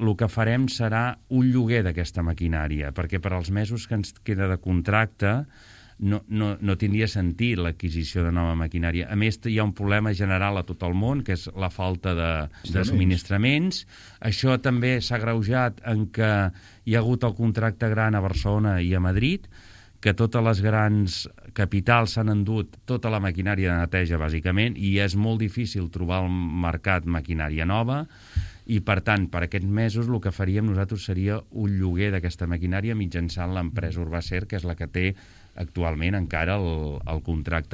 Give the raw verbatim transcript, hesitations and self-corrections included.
el que farem serà un lloguer d'aquesta maquinària, perquè per als mesos que ens queda de contracte no, no, no tindria sentit l'adquisició de nova maquinària. A més, hi ha un problema general a tot el món, que és la falta de, de subministraments. Això també s'ha agreujat en què hi ha hagut el contracte gran a Barcelona i a Madrid, que totes les grans capitals s'han endut tota la maquinària de neteja, bàsicament, i és molt difícil trobar al mercat maquinària nova, i, per tant, per aquests mesos el que faríem nosaltres seria un lloguer d'aquesta maquinària mitjançant l'empresa Urbacer, que és la que té actualment encara el, el contracte